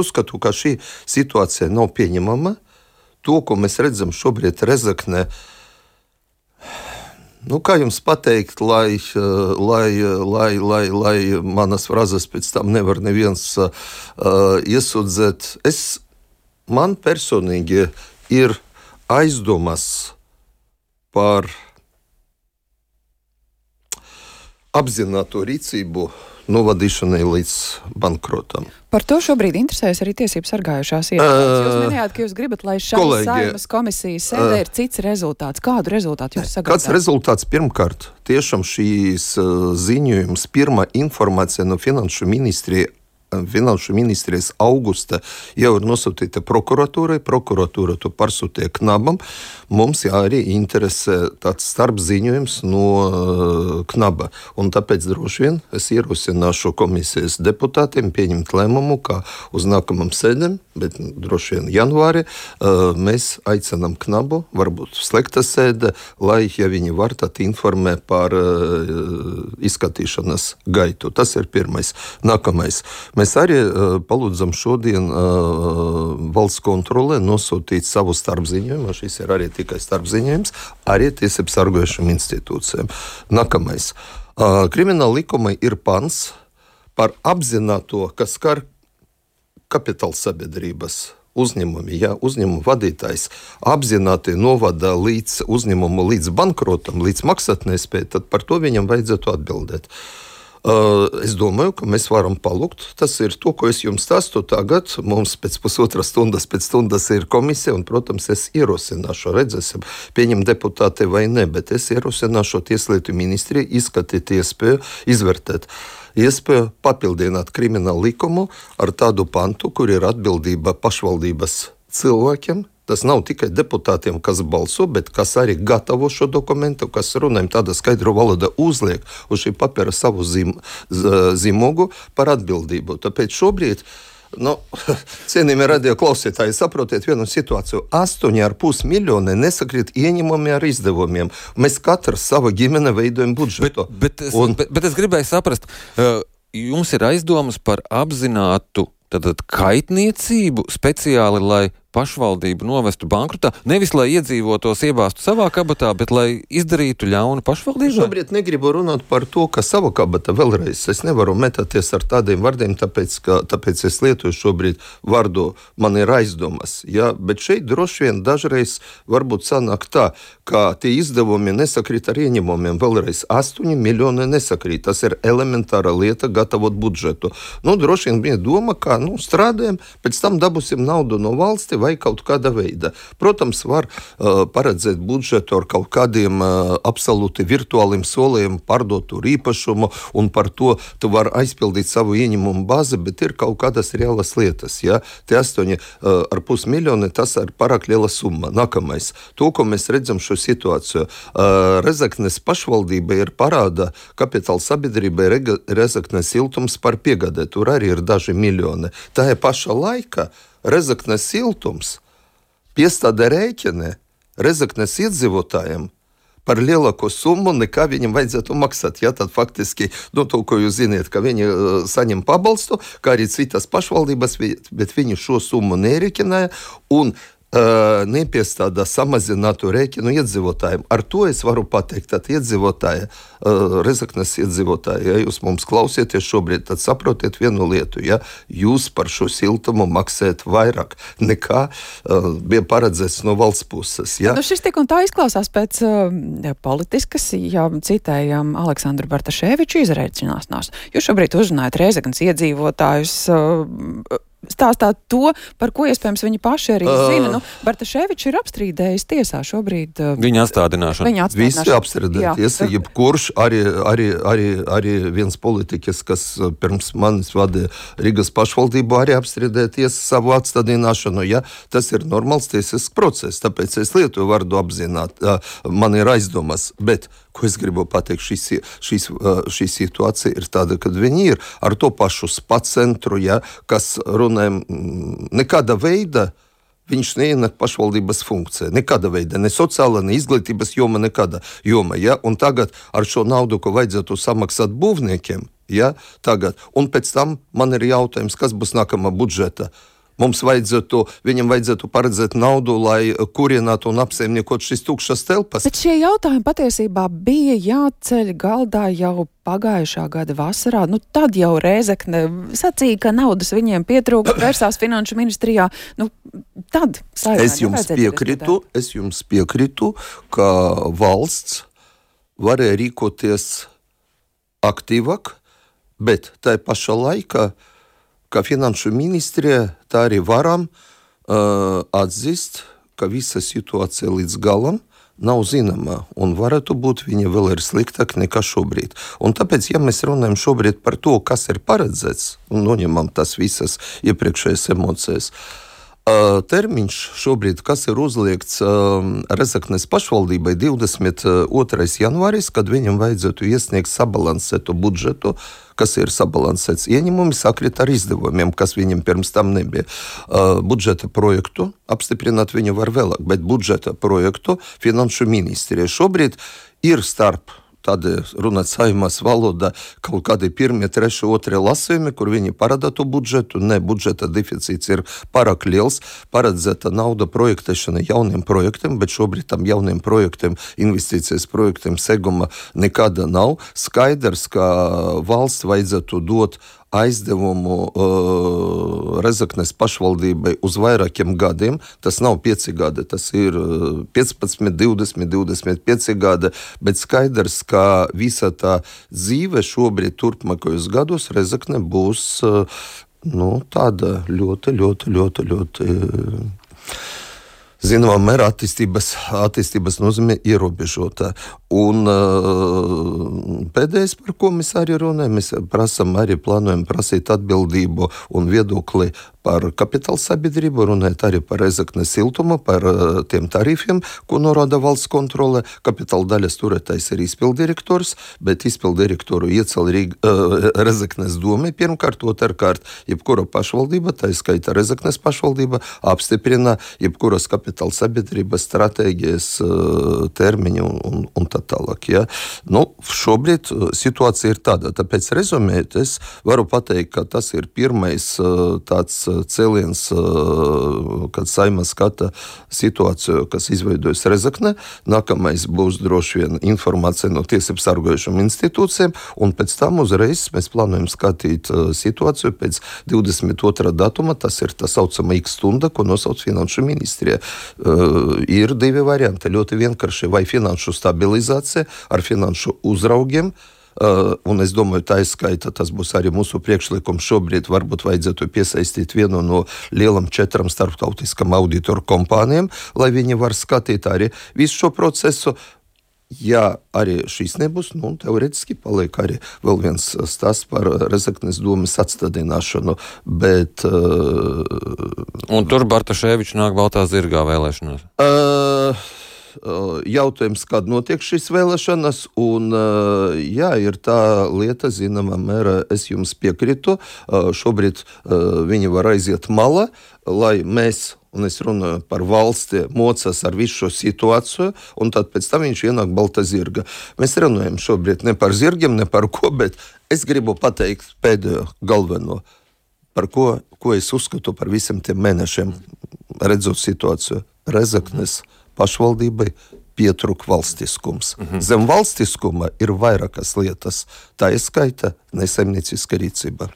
Uzskatu, ka šī situācija nav pieņemama. To, ko mēs redzam šobrīd Rezeknē, kā jums pateikt, lai manas frazes pēc tam nevar neviens iesūdzēt. Man personīgi ir aizdomas par apzināto rīcību novadīšanai līdz bankrotam. Par to šobrīd interesējas arī tiesību sargājušās iestādes. Jūs minējāt, ka jūs gribat, lai šai Saeimas komisijas sēdē ir cits rezultāts. Kādu rezultātu jūs sagaidāt? Kāds rezultāts pirmkārt? Tiešām šīs ziņojums, pirmā informācija no Finanšu ministrijas augusta jau ir nosūtīta prokuratūrai. Prokuratūra to pārsūtīja Knabam. Mums arī interesē tāds starpziņojums no Knaba. Un tāpēc droši vien es ierosināšu komisijas deputātiem pieņemt lēmumu, ka uz nākamam sēdēm, bet droši vien janvāri, mēs aicinām Knabu, varbūt slēgta sēde, lai, ja viņi var, tad informē par izskatīšanas gaitu. Tas ir pirmais. Nākamais. Mēs arī palūdzam šodien valsts kontrolē nosūtīt savu starpziņojumu, šis ir arī tikai starpziņojums, arī tiesību sargājušām institūcijām. Nākamais. Krimināla likuma ir pants par apzināto, kas skar kapitāla sabiedrības uzņēmumi. Ja uzņēmuma vadītājs apzināti novada līdz uzņēmumu līdz bankrotam, līdz maksātnespēju, tad par to viņam vajadzētu atbildēt. Es domāju, ka mēs varam palūgt. Tas ir to, ko es jums stāstu tagad. Mums pēc pusotras stundas ir komisija, un, protams, es ierosināšu, redzēsim, pieņem deputāti vai ne, bet es ierosināšu Tieslietu ministriju izskatīt iespēju, izvērtēt iespēju papildināt kriminālu likumu ar tādu pantu, kur ir atbildība pašvaldības cilvēkiem. Tas nav tikai deputātiem, kas balso, bet kas arī gatavo šo dokumentu, kas runājam tādā skaidru valodā uzliek uz šī papīra savu zīmogu par atbildību. Tāpēc šobrīd, cienījamie radio klausītāji, saprotiet vienu situāciju. 8,5 miljoni nesakrīt ieņēmumi ar izdevumiem. Mēs katrs savu ģimeni veidojam budžetu. Bet es gribēju saprast, jums ir aizdomas par apzinātu kaitniecību speciāli, lai pašvaldību novestu bankrotā, nevis lai iedzīvotos iebāstu savā kabatā, bet lai izdarītu ļaunu pašvaldībai? Šobrīd negribu runāt par to, ka savā kabatā vēlreiz. Es nevaru metāties ar tādiem vārdiem, tāpēc es lietoju šobrīd vārdu, man ir aizdomas. Ja? Bet šeit droši vien dažreiz varbūt sanāk tā, ka tie izdevumi nesakrīt ar ieņemumiem. Vēlreiz 8 miljoni nesakrīt. Tas ir elementāra lieta gatavot budžetu. Droši vien bija doma, ka strādājam, pēc tam dabūsim naudu no valsti vai kaut kāda veida. Protams, var paredzēt budžetu ar kaut kādiem absolūti virtuāliem solījumiem pārdot tur īpašumu, un par to tu var aizpildīt savu ieņemumu bāzi, bet ir kaut kādas reālas lietas. Ja? Tie 8,5 miljoni, tas ir pārāk liela summa. Nākamais. To, ko mēs redzam šo situāciju. Rezeknes pašvaldība ir parāda kapitāla sabiedrībai Rezeknes siltums par piegādē. Tur arī ir daži miljoni. Tā ir paša laika Rezeknes siltums piestāda rēķini Rezeknes iedzīvotājiem par lielāko summu, nekā viņam vajadzētu maksāt. Ja, tad faktiski, to, ko jūs ziniet, ka viņi saņem pabalstu, kā arī citas pašvaldības, bet viņi šo summu nerēķināja un nepiestādā samazinātu rēķinu iedzīvotājiem. Ar to es varu pateikt, tad iedzīvotāji, Rezeknes iedzīvotāji, ja jūs mums klausieties šobrīd, tad saprotiet vienu lietu, ja jūs par šo siltumu maksājat vairāk nekā bija paredzēts no valsts puses. Ja? Šis tik un tā izklausās pēc politiskas, ja citējam Aleksandru Bartaševiču izreicināšanās. Jūs šobrīd uzrunājat Rezeknes iedzīvotājus, stāstāt to, par ko iespējams viņi paši arī zina. Bartaševičs ir apstrīdējis tiesā šobrīd. Viņa atstādināšana. Visi apstrīdēja tiesa, jebkurš arī viens politiķis, kas pirms manis vadīja Rīgas pašvaldību, arī apstrīdēja tiesa savu atstādināšanu. Ja? Tas ir normāls tiesisks process, tāpēc es lietoju vārdu apzināt. Man ir aizdomas, bet ko es gribu pateikt, šī situācija ir tāda, kad viņi ir ar to pašu spa centru, ja, kas runājam, nekāda veida viņš neienāk pašvaldības funkcija. Nekāda veida, ne sociāla, ne izglītības joma, nekāda joma. Ja? Un tagad ar šo naudu, ko vajadzētu samaksāt būvniekiem, Ja, tagad. Un pēc tam man ir jautājums, kas būs nākamā budžeta. Viņam vajadzētu paredzēt naudu, lai kurinātu un apsaimniekot šīs tukšas telpas. Bet šie jautājumi patiesībā bija jāceļ galdā jau pagājušā gada vasarā. Tad jau Rēzekne sacīja, ka naudas viņiem pietrūka, vērsās finanšu ministrijā. Tad es jums piekrītu, ka valsts varēja rīkoties aktīvāk, bet tai pašā laikā kā finanšu ministrija, tā arī varam atzīst, ka visa situācija līdz galam nav zināma, un varētu būt viņa vēl ir sliktāka nekā šobrīd. Un tāpēc, ja mēs runājam šobrīd par to, kas ir paredzēts, un noņemam tas visas iepriekšējās emocijas, termiņš šobrīd, kas ir uzliekts Rezeknes pašvaldībai 22. janvāris, kad viņam vajadzētu iesniegt sabalansētu budžetu, kas ir sabalansēts ieņemumi, sakrit ar izdevumiem, kas viņam pirms tam nebija. Budžeta projektu apstiprināt viņu var vēlāk, bet budžeta projektu finanšu ministrija šobrīd ir starp tādi runāt saimās valodā kaut kādi 1., 3., 2. lasījumi, kur viņi parāda to budžetu. Ne, budžeta deficīts ir pārāk liels, paredzēta nauda projektēšana jauniem projektiem, bet šobrīd tam jauniem projektiem, investīcijas projektiem seguma nekāda nav. Skaidrs, ka valsts vajadzētu dot aizdevumu Rezeknes pašvaldībai uz vairākiem gadiem. Tas nav 5 gadi, tas ir 15, 20, 25 gadi, bet skaidrs, ka visa tā dzīve šobrīd turpmākajos gados Rezekne būs tāda ļoti zināmā mērā attīstības nozīme ierobežota. Un pēdējais, par ko mēs arī runājam, mēs plānojam prasīt atbildību un viedokli par kapitāla sabiedrību, runājot arī par Rezeknes siltumu, par tiem tarifiem, ko norāda valsts kontrole. Kapitāla daļas turētājs ir izpildirektors, bet izpildirektoru iecēl Rezeknes doma pirmkārt, otrkārt, jebkura pašvaldība, tā skaitā Rezeknes pašvaldība, apstiprina jebkuras kapitāla sabiedrības stratēģijas termiņu un tā tālāk. Ja? Šobrīd situācija ir tāda, tāpēc rezumēt, es varu pateikt, ka tas ir pirmais tāds cēliens, kad Saeima skata situāciju, kas izveidojas Rezekne. Nākamais būs droši vien informācija no tiesību sargājušām institūcijām, un pēc tam uzreiz mēs plānojam skatīt situāciju pēc 22. datuma, tas ir tā saucama X stunda, ko nosauc finanšu ministrija. Ir 2 varianti, ļoti vienkārši, vai finanšu stabilizācija ar finanšu uzraugiem, un es domāju, tā izskaita, tas būs arī mūsu priekšlikums šobrīd, varbūt vajadzētu piesaistīt vienu no lielam 4 starptautiskam auditoru kompānijām, lai viņi var skatīt arī visu šo procesu. Ja arī šīs nebūs, teoretiski paliek arī vēl viens stāsts par Rezeknes domas atstādināšanu, bet... Un tur Bartaševičs nāk baltā zirgā vēlēšanās? Jautājums, kad notiek šīs vēlēšanas, un ir tā lieta, zināmā mērā, es jums piekrītu, šobrīd viņi var aiziet malā, lai mēs, un es runāju par valsti, mocās ar visu šo situāciju, un tad pēc tam viņš ienāk balta zirga. Mēs runājam šobrīd ne par zirgiem, ne par ko, bet es gribu pateikt pēdējo galveno, par ko es uzskatu par visiem tiem mēnešiem, redzot situāciju. Rezeknes pašvaldībai pietrūk valstiskums. Zem valstiskuma ir vairākas lietas, tā ir skaita nesaimnieciska rīcība.